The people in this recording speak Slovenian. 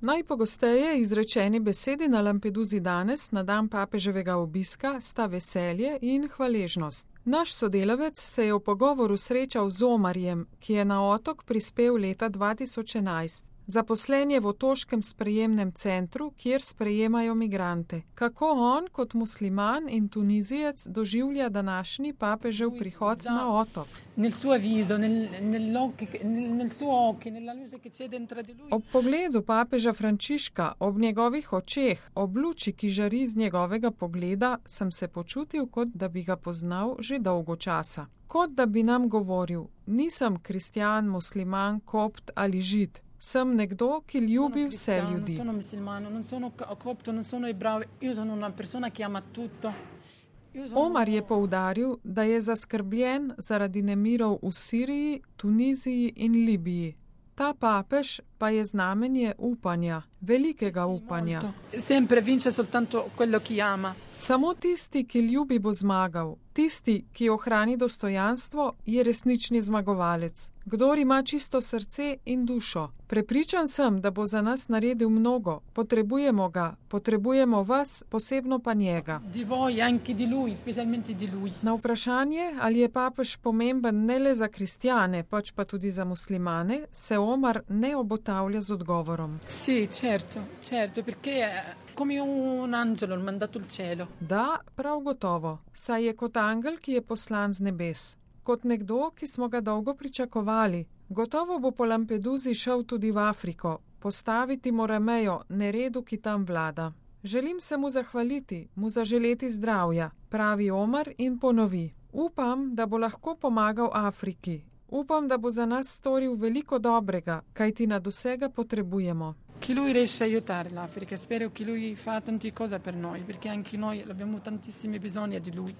Najpogosteje izrečeni besedi na Lampeduzi danes, na dan papeževega obiska, sta veselje in hvaležnost. Naš sodelavec se je v pogovoru srečal z Omarjem, ki je na otok prispel leta 2011. Zaposlen je v otoškem sprejemnem centru, kjer sprejemajo migrante. Kako on kot musliman in Tunizijec doživlja današnji papežev prihod na otok? Ob pogledu papeža Frančiška, ob njegovih očeh, ob luči, ki žari iz njegovega pogleda, sem se počutil, kot da bi ga poznal že dolgo časa. Kot da bi nam govoril: nisem kristjan, musliman, kopt ali žid. Sem nekdo, ki ljubi vse ljudi. Omar je poudaril, da je zaskrbljen zaradi nemirov v Siriji, Tuniziji in Libiji. Ta papež pa je znamenje upanja, velikega upanja. Samo tisti, ki ljubi, bo zmagal. Tisti, ki ohrani dostojanstvo, je resnični zmagovalec. Kdor ima čisto srce in dušo. Prepričan sem, da bo za nas naredil mnogo. Potrebujemo ga, potrebujemo vas, posebno pa njega. Na vprašanje, ali je papež pomemben ne le za kristjane, pač pa tudi za muslimane, se Omar ne obotavlja z odgovorom. Da, prav gotovo, saj je kot angel, ki je poslan z nebes. Kot nekdo, ki smo ga dolgo pričakovali. Gotovo bo po Lampeduzi šel tudi v Afriko, postaviti mora mejo neredu, ki tam vlada. Želim se mu zahvaliti, mu zaželeti zdravja, pravi Omar in ponovi. Upam, da bo lahko pomagal Afriki. Upam, da bo za nas storil veliko dobrega, kajti nad vsega potrebujemo. Che lui riesce a aiutare l'Africa, spero che lui fa tante cose per noi, perché anche noi abbiamo tantissimi bisogni di lui.